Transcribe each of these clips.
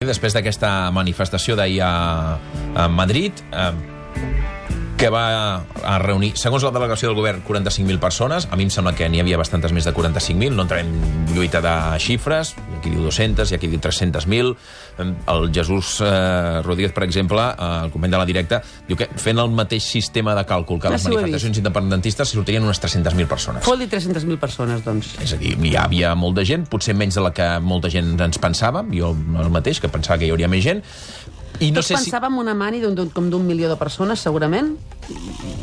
després d'aquesta manifestació d'ahir a Madrid, que va a reunir, segons la delegació del govern, 45.000 persones. A mi em sembla que n'hi havia bastantes més de 45.000. No entrarem en lluita de xifres. Hi ha qui diu 200, hi ha qui diu 300.000. El Jesús Rodríguez, per exemple, el company de La Directa, diu que fent el mateix sistema de càlcul que les manifestacions independentistes sortirien unes 300.000 persones. Vol dir 300.000 persones, doncs. És a dir, hi havia molta gent, potser menys de la que molta gent ens pensava, jo el mateix, que pensava que hi hauria més gent. I no Tots sé pensàvem una mani com d'un milió de persones, segurament?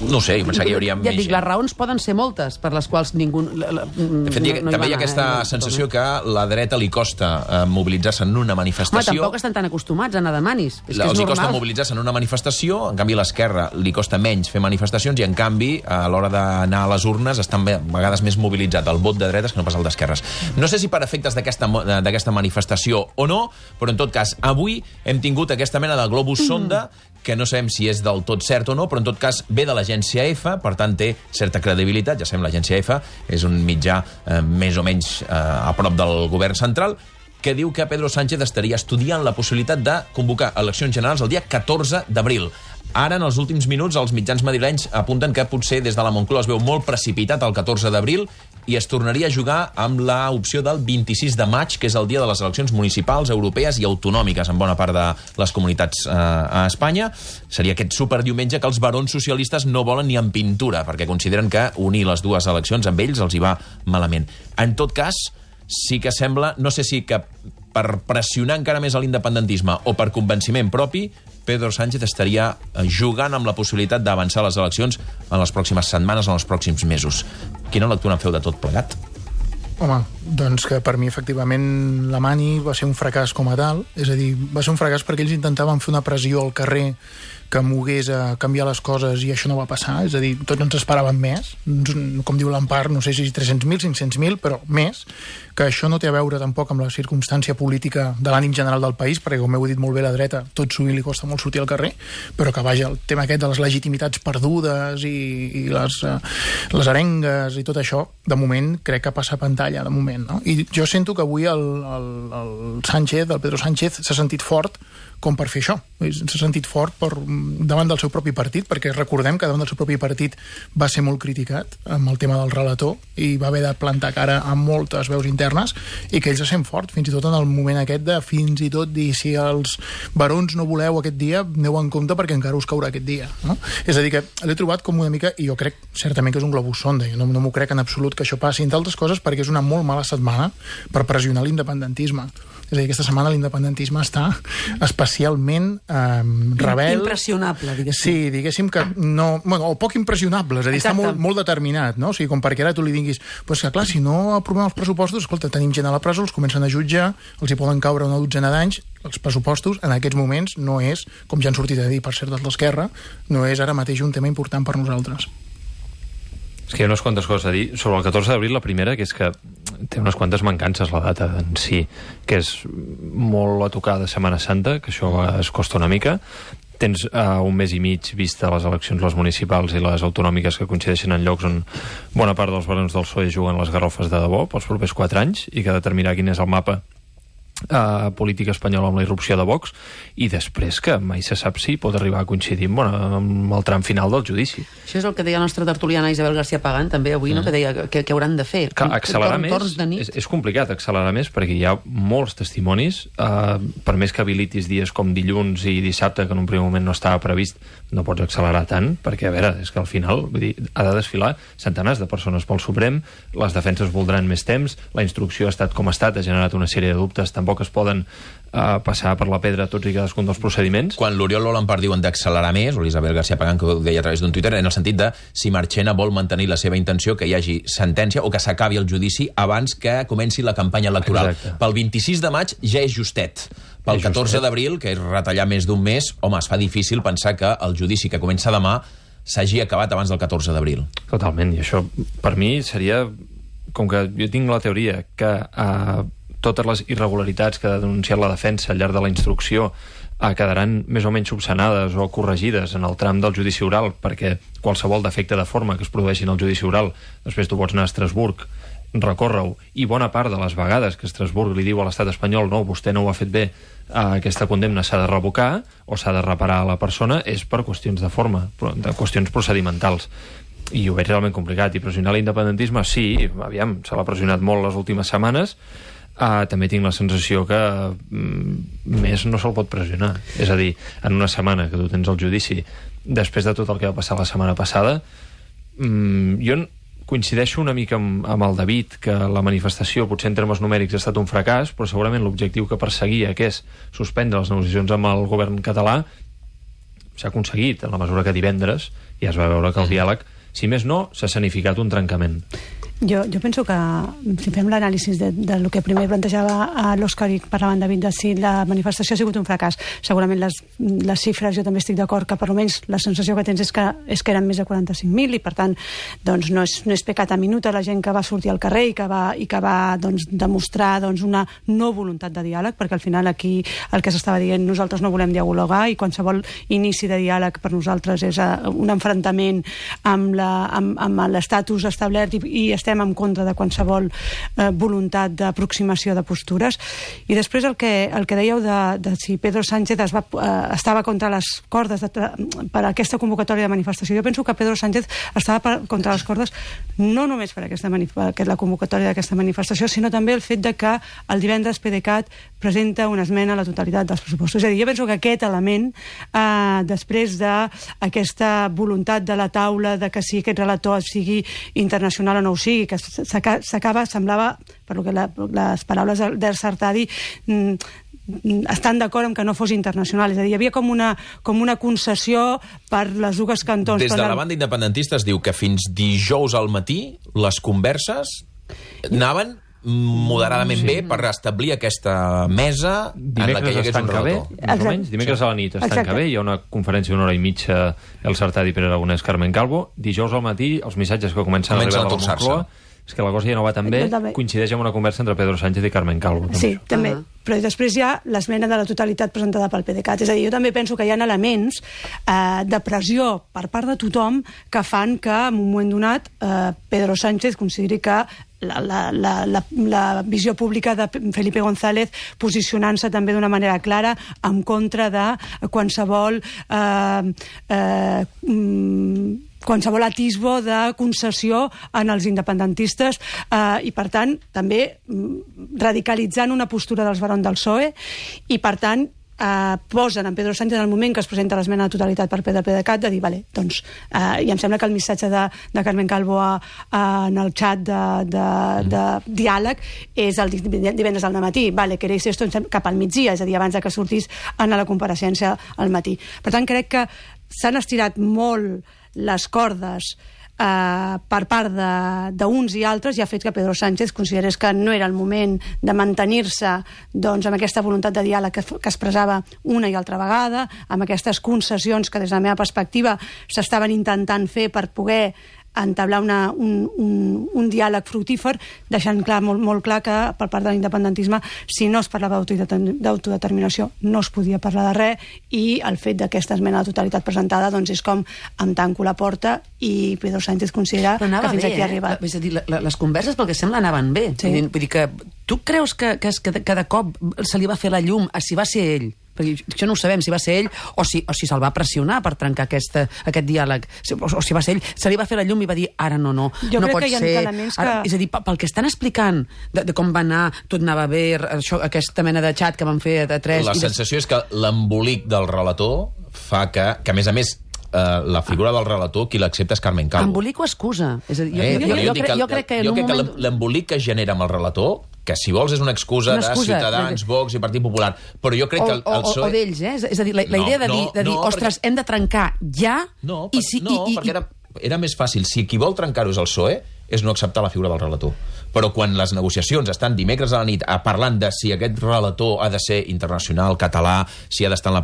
No sé, jo pensava que hi hauria més gent. Ja dic, les raons poden ser moltes, per les quals ningú De fet, també hi ha aquesta sensació que a la dreta li costa mobilitzar-se en una manifestació. Home, tampoc estan tan acostumats a anar de manis. És que és Els hi normal. costa mobilitzar-se en una manifestació, en canvi a l'esquerra li costa menys fer manifestacions i, en canvi, a l'hora d'anar a les urnes estan a vegades més mobilitzat el vot de dretes que no pas el d'esquerres. No sé si per efectes d'aquesta manifestació o no, però en tot cas, avui hem tingut aquesta mena de globus sonda que no sabem si és del tot cert o no, però en tot cas ve de l'agència EFE, per tant té certa credibilitat. Ja sabem, l'agència EFE és un mitjà més o menys a prop del govern central, que diu que Pedro Sánchez estaria estudiant la possibilitat de convocar eleccions generals el dia 14 d'abril. Ara, en els últims minuts, els mitjans madrilenys apunten que potser des de la Moncloa es veu molt precipitat el 14 d'abril i es tornaria a jugar amb l'opció del 26 de maig, que és el dia de les eleccions municipals, europees i autonòmiques en bona part de les comunitats a Espanya. Seria aquest superdiumenge que els barons socialistes no volen ni en pintura, perquè consideren que unir les dues eleccions amb ells els hi va malament. En tot cas, sí que sembla, no sé si que per pressionar encara més a l'independentisme o per convenciment propi, Pedro Sánchez estaria jugant amb la possibilitat d'avançar les eleccions en les pròximes setmanes o en els pròxims mesos. Quina lectura en feu de tot plegat? Home, doncs que per mi, efectivament, la mani va ser un fracàs com a tal. És a dir, va ser un fracàs perquè ells intentaven fer una pressió al carrer que mogués a canviar les coses i això no va passar. És a dir, tots ens esperàvem més. Com diu l'Empar, no sé si 300.000, 500.000, però més. Que això no té a veure tampoc amb la circumstància política de l'ànim general del país, perquè, com heu dit molt bé, la dreta tot sovint li costa molt sortir al carrer, però que, vaja, el tema aquest de les legitimitats perdudes i les arengues i tot això, de moment, crec que passa pantalla, de moment, no? I jo sento que avui el Sánchez, el Pedro Sánchez, s'ha sentit fort com per fer això. S'ha sentit fort davant del seu propi partit, perquè recordem que davant del seu propi partit va ser molt criticat amb el tema del relator i va haver de plantar cara a moltes veus internes i que ells se sent fort, fins i tot en el moment aquest de fins i tot dir si els barons no voleu aquest dia, aneu en compte perquè encara us caurà aquest dia, no? És a dir, que l'he trobat com una mica, i jo crec certament que és un globus sonda, jo no m'ho crec en absolut que això passi, entre altres coses perquè és una molt mala setmana per pressionar l'independentisme. És a dir, aquesta setmana l'independentisme està especialment rebel. Impressionable, diguéssim. Sí, diguéssim que no... Bueno, o poc impressionable, és a dir, està molt determinat, no? O sigui, com perquè ara tu li diguis, pues que clar, si no aprovem els pressupostos, escolta, tenim gent a la presó, els comencen a jutjar, els hi poden caure una dotzena d'anys, els pressupostos en aquests moments no és, com ja han sortit a dir, per cert, dels d'Esquerra, no és ara mateix un tema important per nosaltres. És que hi ha unes quantes coses a dir. Sobre el 14 d'abril, la primera, que és que té unes quantes mancances la data en si, que és molt a tocar de Setmana Santa, que això es costa una mica. Tens un mes i mig vista les eleccions, les municipals i les autonòmiques, que coincideixen en llocs on bona part dels barons del PSOE juguen les garrofes de debò pels propers 4 anys i que ha de determinar quin és el mapa política espanyola amb la irrupció de Vox, i després que mai se sap si pot arribar a coincidir amb el tram final del judici. Això és el que deia la nostra tertuliana Isabel García Pagán també avui, no? Que deia que hauran de fer. Que accelerar més és complicat, accelerar més, perquè hi ha molts testimonis, per més que habilitis dies com dilluns i dissabte, que en un primer moment no estava previst, no pots accelerar tant, perquè, a veure, és que al final vull dir, ha de desfilar centenars de persones pel Suprem, les defenses voldran més temps, la instrucció ha estat com ha estat, ha generat una sèrie de dubtes, tampoc es poden passar per la pedra tots i cadascun dels procediments. Quan l'Oriol L'Empar diuen d'accelerar més, o l'Isabel García Pagán, que ho deia a través d'un Twitter, en el sentit de si Marchena vol mantenir la seva intenció que hi hagi sentència o que s'acabi el judici abans que comenci la campanya electoral. Exacte. Pel 26 de maig ja és justet. Pel 14 d'abril, que és retallar més d'un mes, home, es fa difícil pensar que el judici que comença demà s'hagi acabat abans del 14 d'abril. Totalment, i això per mi seria, com que jo tinc la teoria que totes les irregularitats que ha denunciat la defensa al llarg de la instrucció quedaran més o menys subsanades o corregides en el tram del judici oral, perquè qualsevol defecte de forma que es produeixi en el judici oral després tu pots anar a Estrasburg recórrer-ho, i bona part de les vegades que Estrasburg li diu a l'estat espanyol no, vostè no ho ha fet bé, aquesta condemna s'ha de revocar o s'ha de reparar a la persona, és per qüestions de forma, de qüestions procedimentals. I ho veig realment complicat. I pressionar l'independentisme, sí, aviam, se l'ha pressionat molt les últimes setmanes. També tinc la sensació que més no se'l pot pressionar. És a dir, en una setmana que tu tens el judici, després de tot el que va passar la setmana passada, jo coincideixo una mica amb el David, que la manifestació, potser en termes numèrics, ha estat un fracàs, però segurament l'objectiu que perseguia, que és suspendre les negociacions amb el govern català, s'ha aconseguit, en la mesura que divendres ja es va veure que el diàleg, si més no, s'ha escenificat un trencament. Jo penso que, si fem l'anàlisi del que primer plantejava l'Òscar i parlaven David, de si la manifestació ha sigut un fracàs, segurament les xifres, jo també estic d'acord que per almenys la sensació que tens és que eren més de 45.000 i per tant doncs, no és pecat a minuta la gent que va sortir al carrer i que va doncs, demostrar doncs, una no voluntat de diàleg, perquè al final aquí el que s'estava dient, nosaltres no volem dialogar i qualsevol inici de diàleg per nosaltres és un enfrontament amb l'estatus establert i estem en contra de qualsevol voluntat d'aproximació de postures. I després el que dèieu de si Pedro Sánchez estava contra les cordes per aquesta convocatòria de manifestació. Jo penso que Pedro Sánchez estava contra les cordes no només per la convocatòria d'aquesta manifestació, sinó també el fet de que el divendres PDeCAT presenta una esmena a la totalitat dels pressupostos. És a dir, jo penso que aquest element, després d'aquesta voluntat de la taula de que si aquest relator sigui internacional o no ho sigui, que s'acaba, semblava, per lo que les paraules d'Ers Artadi estan d'acord amb que no fos internacional. És a dir, hi havia com una concessió per les dues cantons. Des de la banda independentista es diu que fins dijous al matí les converses anaven moderadament bé per establir aquesta mesa en la que hi hagués un relator. Dimecres a la nit es tanca bé, hi ha una conferència d'una hora i mitja el Sartadi, Pere Aragonès, Carmen Calvo. Dijous al matí els missatges que comencen a arribar de la Moncloa és que la cosa ja no va tan bé, coincideix amb una conversa entre Pedro Sánchez i Carmen Calvo. Sí, també. Però després hi ha l'esmena de la totalitat presentada pel PDeCAT. És a dir, jo també penso que hi ha elements de pressió per part de tothom que fan que, en un moment donat, Pedro Sánchez consideri que la visió pública de Felipe González posicionant-se també d'una manera clara en contra de qualsevol atisbo de concessió en els independentistes i, per tant, també radicalitzant una postura dels barons del PSOE i, per tant, posen en Pedro Sánchez en el moment que es presenta l'esmena de totalitat per PDeCAT de dir, vale, doncs, i em sembla que el missatge de Carmen Calvo en el xat de diàleg és el divendres al matí, vale, queréis esto cap al migdia, és a dir, abans que sortís a la compareixença al matí. Per tant, crec que s'han estirat molt les cordes per part d'uns i altres i ha fet que Pedro Sánchez considerés que no era el moment de mantenir-se doncs, amb aquesta voluntat de diàleg que expressava una i altra vegada, amb aquestes concessions que des de la meva perspectiva s'estaven intentant fer per poder entablar un diàleg fructífer, deixant clar, molt clar que per part de l'independentisme, si no es parlava d'autodeterminació, no es podia parlar de res, i el fet d'aquesta esmena de totalitat presentada doncs és com em tanco la porta i Pedro Sánchez considera que fins aquí ha arribat. És a dir, les converses, pel que sembla, anaven bé. Sí. Vull dir que tu creus que de cop se li va fer la llum a si va ser ell? Perquè això no ho sabem, si va ser ell o si se'l va pressionar per trencar aquest diàleg, o si va ser ell, se li va fer la llum i va dir, ara no pot ser. És a dir, pel que estan explicant de com va anar, tot anava bé, aquesta mena de xat que van fer de tres... La sensació és que l'embolic del relator fa que a més, la figura del relator, qui l'accepta és Carmen Calvo. Embolic o excusa? És a dir, jo crec que l'embolic que genera amb el relator, que si vols és una excusa de Ciutadans, Vox i Partit Popular, però jo crec que el PSOE... O d'ells, és a dir, la idea de dir, ostres, hem de trencar ja... No, perquè era més fàcil. Si qui vol trencar-ho és el PSOE, és no acceptar la figura del relator. Però quan les negociacions estan dimecres a la nit parlant de si aquest relator ha de ser internacional, català, si ha d'estar en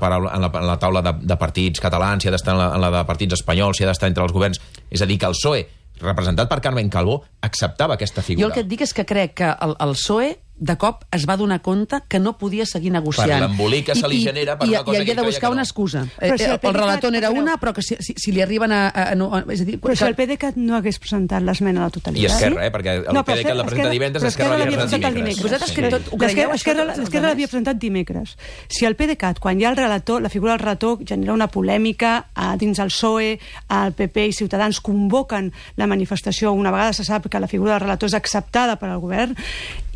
la taula de partits catalans, si ha d'estar en la de partits espanyols, si ha d'estar entre els governs... És a dir, que el PSOE, representat per Carmen Calvo, acceptava aquesta figura. Jo el que et dic és que crec que el PSOE de cop es va donar compte que no podia seguir negociant. Per l'embolic que se li genera per una cosa que I havia de buscar una excusa. El relator n'era una, però que si li arriben és a dir, però si el PDeCAT no hagués presentat l'esmena a la totalitat... I Esquerra, perquè el PDeCAT la presenta divendres, Esquerra l'havia presentat dimecres. Vosaltres que tot ho creieu, Esquerra l'havia presentat dimecres. Si el PDeCAT, quan hi ha el relator, la figura del relator genera una polèmica dins el PSOE, el PP i Ciutadans convoquen la manifestació, una vegada se sap que la figura del relator és acceptada per al govern,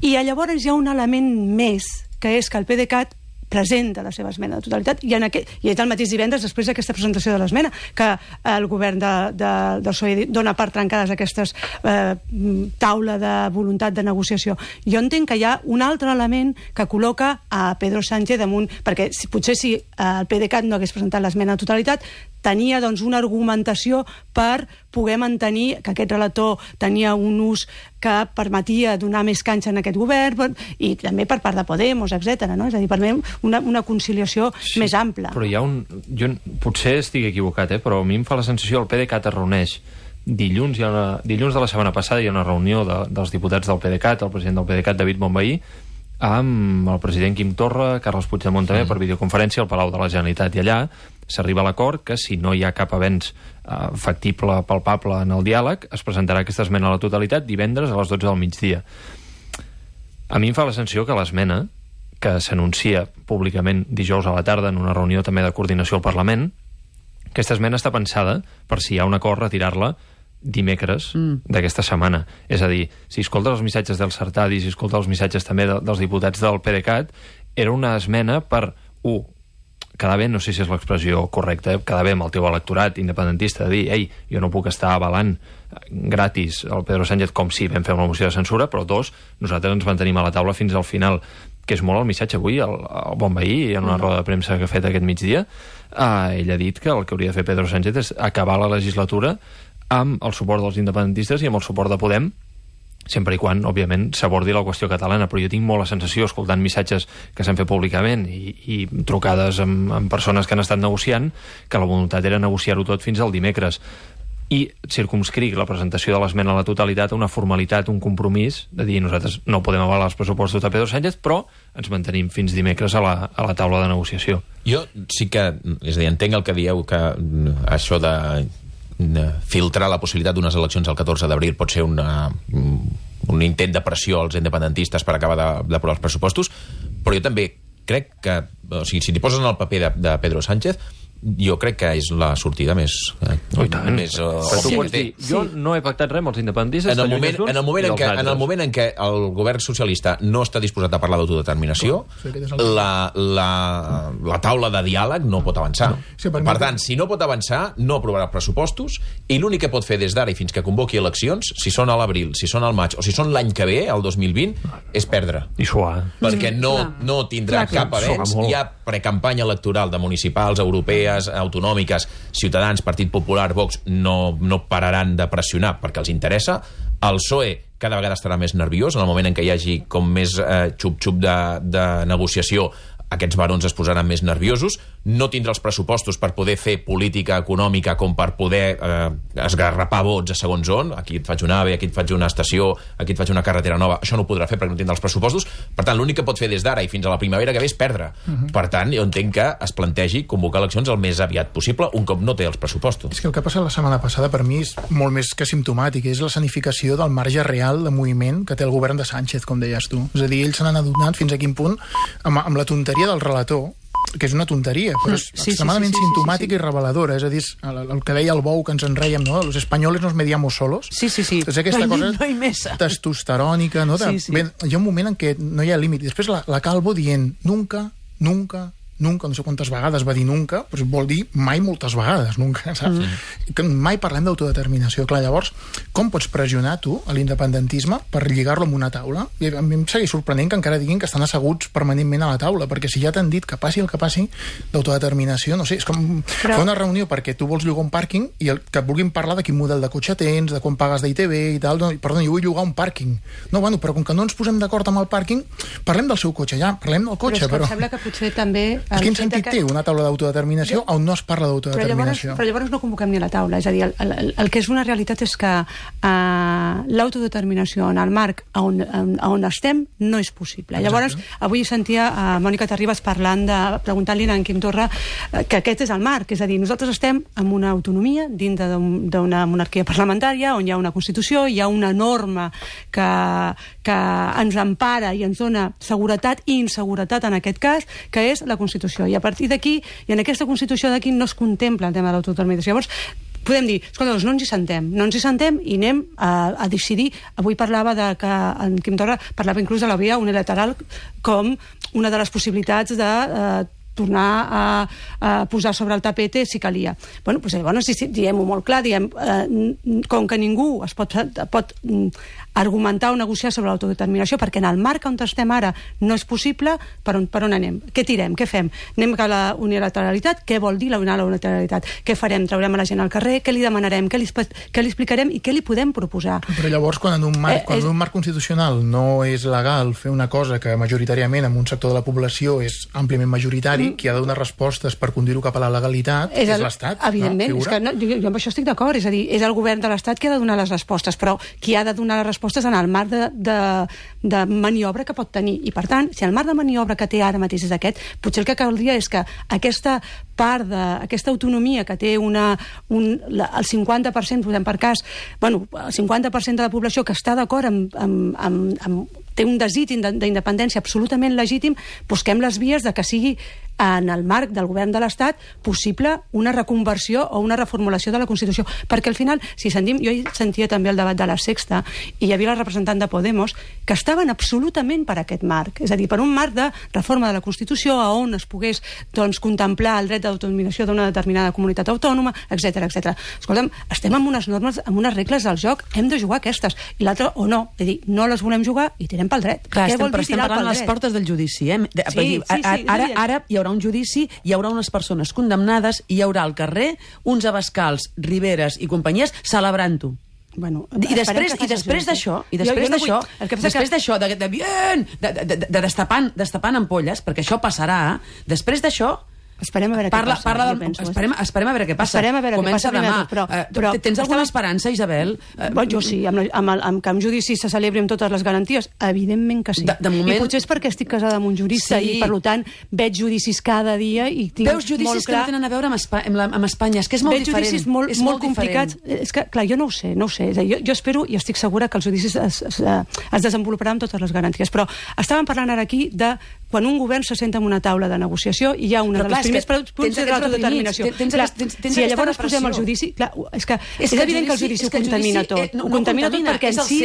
i llavors hi ha un element més, que és que el PDeCAT presenta la seva esmena de totalitat i és el mateix divendres després d'aquesta presentació de l'esmena que el govern del PSOE dona per trencades aquestes taula de voluntat de negociació. Jo entenc que hi ha un altre element que col·loca a Pedro Sánchez damunt, perquè potser si el PDeCAT no hagués presentat l'esmena de totalitat tenia doncs una argumentació per poder mantenir que aquest relator tenia un ús que permetia donar més canxa en aquest govern i també per part de Podemos, etc. No? És a dir, per mi una conciliació més ampla. Però hi ha jo potser estic equivocat, però a mi em fa la sensació que el PDeCAT es reuneix dilluns de la setmana passada hi ha una reunió dels diputats del PDeCAT, el president del PDeCAT, David Bonvehí, amb el president Quim Torra, Carles Puigdemont també, per videoconferència al Palau de la Generalitat, i allà s'arriba a l'acord que si no hi ha cap avenç factible, palpable en el diàleg, es presentarà aquesta esmena a la totalitat divendres a les 12 del migdia. A mi em fa la sensació que l'esmena, que s'anuncia públicament dijous a la tarda en una reunió també de coordinació al Parlament, aquesta esmena està pensada per si hi ha un acord retirar-la dimecres d'aquesta setmana. És a dir, si escoltes els missatges del Sartadi, si escoltes els missatges també dels diputats del PDeCAT, era una esmena per, quedar bé, no sé si és l'expressió correcta, quedar bé amb el teu electorat independentista, de dir, ei, jo no puc estar avalant gratis el Pedro Sánchez com si vam fer una moció de censura, però dos, nosaltres ens mantenim a la taula fins al final, que és molt el missatge avui, el Bonvehí, en una roda de premsa que ha fet aquest migdia, ell ha dit que el que hauria de fer Pedro Sánchez és acabar la legislatura amb el suport dels independentistes i amb el suport de Podem, sempre i quan, òbviament, s'abordi la qüestió catalana. Però jo tinc molt la sensació, escoltant missatges que s'han fet públicament i trucades amb persones que han estat negociant, que la voluntat era negociar-ho tot fins al dimecres. I circumscric la presentació de l'esmena a la totalitat a una formalitat, un compromís, de dir nosaltres no podem avalar els pressupostos de Pedro Sánchez, però ens mantenim fins dimecres a la taula de negociació. Jo sí que, és a dir, entenc el que dieu, que això de filtrar la possibilitat d'unes eleccions el 14 d'abril pot ser un intent de pressió als independentistes per acabar d'aprovar els pressupostos, però jo també crec que, o sigui, si t'hi poses en el paper de Pedro Sánchez, jo crec que és la sortida més òbvia. Jo no he pactat res amb els independentistes. En el moment en què el govern socialista no està disposat a parlar d'autodeterminació, la taula de diàleg no pot avançar. Per tant, si no pot avançar, no aprovarà pressupostos, i l'únic que pot fer des d'ara i fins que convoqui eleccions, si són a l'abril, si són al maig o si són l'any que ve, el 2020, és perdre. I suar. Perquè no tindrà cap avenç. Hi ha precampanya electoral de municipals, europees, autonòmiques, Ciutadans, Partit Popular, Vox, no pararan de pressionar perquè els interessa. El PSOE cada vegada estarà més nerviós en el moment en què hi hagi com més xup-xup de negociació. Aquests barons es posaran més nerviosos, no tindrà els pressupostos per poder fer política econòmica com per poder esgarrapar vots a segons on, aquí et faig un AVE, aquí et faig una estació, aquí et faig una carretera nova, això no ho podrà fer perquè no tindrà els pressupostos. Per tant, l'únic que pot fer des d'ara i fins a la primavera que ve és perdre. Per tant, jo entenc que es plantegi convocar eleccions el més aviat possible, un cop no té els pressupostos. És que el que ha passat la setmana passada per mi és molt més que simptomàtic, és la escenificació del marge real de moviment que té el govern de Sánchez, com deies tu. És a dir, ells se n'han adonat fins a quin punt amb la tonteria del relator, que és una tonteria, però és extremadament simptomàtica i reveladora. És a dir, el que deia el Bou, que ens enreiem, no? Los españoles nos mediamos solos. Sí. És aquesta cosa testosterònica, no? Bé, hi ha un moment en què no hi ha límit. I després la Calvo dient nunca, no sé quantes vegades va dir nunca, però vol dir mai moltes vegades, nunca, saps? Que mai parlem d'autodeterminació. Clar, llavors, com pots pressionar tu a l'independentisme per lligar-lo amb una taula? I a mi em segueix sorprenent que encara diguin que estan asseguts permanentment a la taula, perquè si ja t'han dit que passi el que passi d'autodeterminació, no sé, és com fer una reunió perquè tu vols llogar un pàrquing i que et vulguin parlar de quin model de cotxe tens, de quan pagues d'ITV i tal. No, perdó, jo vull llogar un pàrquing. No, bueno, però com que no ens posem d'acord amb el pàrquing, parlem del seu cotxe, ja, parlem del cotxe. Però és que em sembla que potser també Quin sentit té una taula d'autodeterminació on no es parla d'autodeterminació? Però llavors no convoquem ni a la taula. És a dir, el que és una realitat és que l'autodeterminació en el marc on estem no és possible. Llavors, avui sentia a Mònica Terribas preguntant-li a en Quim Torra que aquest és el marc. És a dir, nosaltres estem en una autonomia dintre d'una monarquia parlamentària on hi ha una Constitució, hi ha una norma que ens empara i ens dona seguretat i inseguretat en aquest cas, que és la Constitució. I a partir d'aquí, i en aquesta Constitució d'aquí no es contempla el tema de l'autodeterminació. Llavors, podem dir, escolta, no ens hi sentem i anem a decidir. Avui parlava que en Quim Torra parlava inclús de la via unilateral com una de les possibilitats de tornar a posar sobre el tapete si calia. Bueno, doncs llavors diem-ho molt clar, com que ningú es pot argumentar o negociar sobre l'autodeterminació, perquè en el marc on estem ara no és possible, per on anem? Què tirem? Què fem? Anem a la unilateralitat? Què vol dir la unilateralitat? Què farem? Traurem a la gent al carrer? Què li demanarem? Què li explicarem? I què li podem proposar? Però llavors, quan en un marc constitucional no és legal fer una cosa que majoritàriament en un sector de la població és àmpliament majoritari, qui ha de donar respostes per conduir-ho cap a la legalitat és l'Estat. Evidentment, és que jo amb això estic d'acord, és a dir, és el govern de l'Estat qui ha de donar les respostes, però qui ha de donar les respostes en el marc de maniobra que pot tenir. I, per tant, si el marc de maniobra que té ara mateix és aquest, potser el que caldria és que aquesta part d'aquesta autonomia que té el 50%, posem per cas, el 50% de la població que està d'acord té un desig d'independència absolutament legítim, busquem les vies de que sigui en el marc del govern de l'Estat possible una reconversió o una reformulació de la Constitució. Perquè al final, si sentim, jo sentia també el debat de la Sexta i hi havia la representant de Podemos que estaven absolutament per aquest marc. És a dir, per un marc de reforma de la Constitució on es pogués contemplar el dret d'autodeterminació d'una determinada comunitat autònoma, etc. Escolta'm, estem amb unes normes, amb unes regles del joc, hem de jugar aquestes. I l'altra, o no. És a dir, no les volem jugar i tirem pel dret. Clar, estem parlant a les portes del judici. Ara hi haurà un judici, hi haurà unes persones condemnades i hi haurà al carrer uns abascals, Riveres i companyies celebrant-ho. Bueno, I després d'això, destapant ampolles, perquè això passarà, després d'això esperem a veure què passa. Esperem a veure què passa. Comença demà. Però tens alguna esperança, Isabel? Jo sí, amb que un judici se celebri amb totes les garanties. Evidentment que sí. I potser és perquè estic casada amb un jurista i, per tant, veig judicis cada dia i tinc molt clar... Veus judicis que no tenen a veure amb Espanya. És que és molt diferent. Veig judicis molt complicats. És que, clar, jo no ho sé. Jo espero i estic segura que els judicis es desenvoluparan amb totes les garanties. Però estàvem parlant ara aquí de quan un govern se senta en una taula de negociació i hi ha una de les primers punts de l'autodeterminació. Si llavors posem el judici... És evident que el judici ho contamina tot. Ho contamina tot perquè en si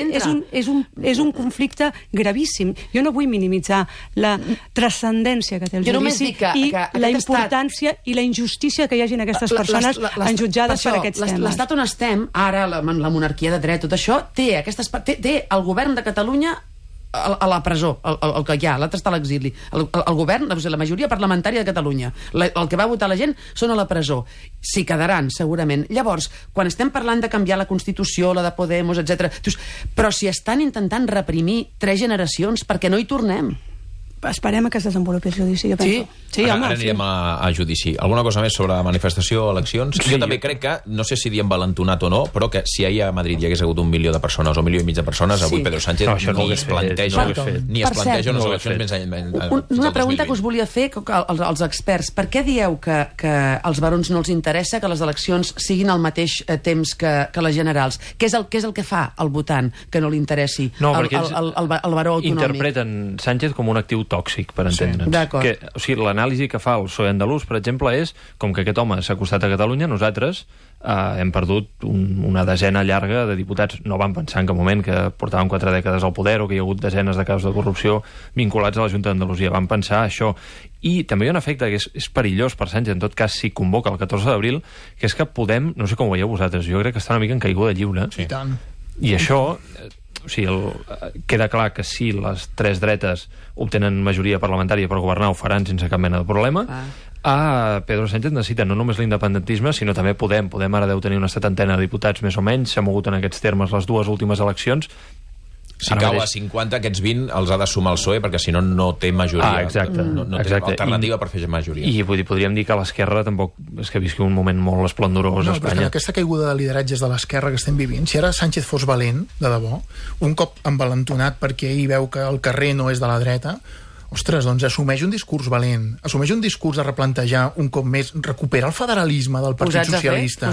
és un conflicte gravíssim. Jo no vull minimitzar la transcendència que té el judici i la importància i la injustícia que hi hagin aquestes persones enjutjades per aquests temes. L'estat on estem, ara, la monarquia de dret, tot això, té el govern de Catalunya a la presó, el que hi ha, l'altre està a l'exili. El govern, la majoria parlamentària de Catalunya, el que va votar la gent són a la presó. S'hi quedaran, segurament. Llavors, quan estem parlant de canviar la Constitució, la de Podemos, etc., però si estan intentant reprimir 3 generacions, perquè no hi tornem? Esperem que es desenvolupi el judici, jo penso. Sí, ara anirem a judici. Alguna cosa més sobre la manifestació o eleccions? Jo també crec que, no sé si diem valentonat o no, però que si ahir a Madrid hi hagués hagut 1 milió de persones o 1,5 milió de persones, avui Pedro Sánchez ni es planteja unes eleccions més... Una pregunta que us volia fer als experts. Per què dieu que als barons no els interessa que les eleccions siguin al mateix temps que les generals? Què és el que fa al votant que no li interessi el baró autonòmic? Interpreten Sánchez com un actiu tòxic, per entendre'ns. O sigui, l'anàlisi que fa el PSOE andalús, per exemple, és com que aquest home s'ha acostat a Catalunya, nosaltres hem perdut una desena llarga de diputats. No van pensar en cap moment que portaven 4 dècades al poder o que hi ha hagut desenes de casos de corrupció vinculats a la Junta d'Andalusia. Van pensar això. I també hi ha un efecte que és perillós per Sánchez, en tot cas, si convoca el 14 d'abril, que és que podem, no sé com ho veieu vosaltres, jo crec que està una mica en caiguda lliure. Sí, tant. I això... O sigui, queda clar que si les 3 dretes obtenen majoria parlamentària per governar, ho faran sense cap mena de problema. Pedro Sánchez necessita no només l'independentisme, sinó també Podem ara deu tenir una 70ena de diputats més o menys, s'ha mogut en aquests termes les 2 últimes eleccions, Si cau a 50, aquests 20 els ha de sumar el PSOE, perquè si no, no té majoria. Exacte. No té alternativa per fer majoria. I podríem dir que l'esquerra tampoc és que visqui un moment molt esplendorós a Espanya. Aquesta caiguda de lideratges de l'esquerra que estem vivint, si ara Sánchez fos valent, de debò, un cop envalentonat perquè ell veu que el carrer no és de la dreta, ostres, doncs assumeix un discurs valent, assumeix un discurs de replantejar un cop més, recuperar el federalisme del Partit Socialista.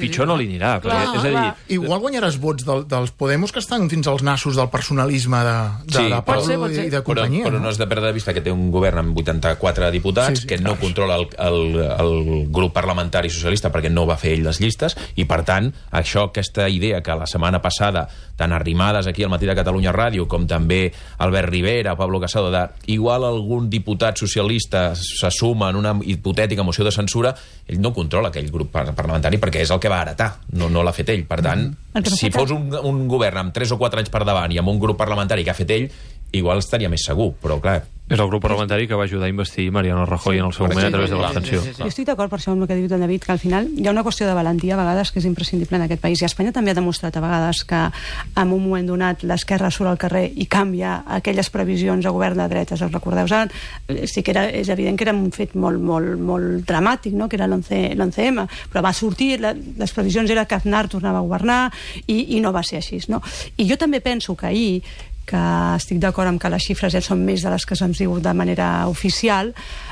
Pitjor no li anirà. És a dir, igual guanyaràs vots dels Podemos que estan fins als nassos del personalisme de Pablo i de companyia. Però no has de perdre de vista que té un govern amb 84 diputats, que no controla el grup parlamentari socialista perquè no va fer ell les llistes, i per tant, aquesta idea que la setmana passada, tant Arrimadas aquí al Matí de Catalunya Ràdio, com també Albert Rivera, Pablo Casado, igual algun diputat socialista se suma en una hipotètica moció de censura, ell no controla aquell grup parlamentari perquè és el que va heretar, no l'ha fet ell. Per tant, si fos un govern amb 3 o 4 anys per davant i amb un grup parlamentari que ha fet ell, igual estaria més segur, però clar... És el grup parlamentari que va ajudar a investir Mariano Rajoy en el seu moment a través de l'abstenció. Jo estic d'acord per això amb el que ha dit en David, que al final hi ha una qüestió de valentia a vegades que és imprescindible en aquest país, i Espanya també ha demostrat a vegades que en un moment donat l'esquerra surt al carrer i canvia aquelles previsions de govern de dretes. Us recordeu? Sí que és evident que era un fet molt dramàtic, no? Que era l'11M, però va sortir, les previsions era que Aznar tornava a governar i no va ser així, no? I jo també penso que ahir, que estic d'acord amb que les xifres ja són més de les que se'ns diu de manera oficial,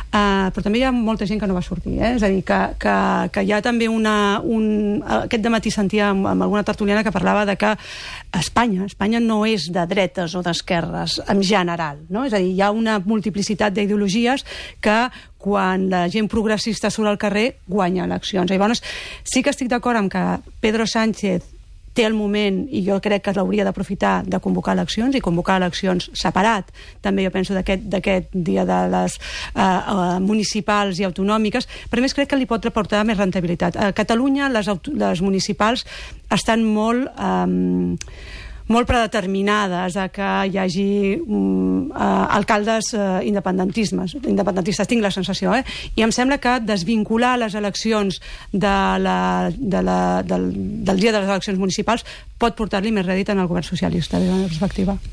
però també hi ha molta gent que no va sortir, és a dir, que hi ha també aquest dematí sentia amb alguna tertuliana que parlava de que Espanya no és de dretes o d'esquerres en general, no? És a dir, hi ha una multiplicitat d'ideologies que quan la gent progressista surt al carrer guanya eleccions. I llavors sí que estic d'acord amb que Pedro Sánchez té el moment, i jo crec que l'hauria d'aprofitar, de convocar eleccions, i convocar eleccions separat, també jo penso d'aquest dia de les municipals i autonòmiques, però a més crec que li pot reportar més rendibilitat. A Catalunya les municipals estan molt predeterminades a que hi hagi alcaldes independentistes, tinc la sensació, i em sembla que desvincular les eleccions del dia de les eleccions municipals pot portar-li més rèdit en el govern socialista, des de la meva perspectiva.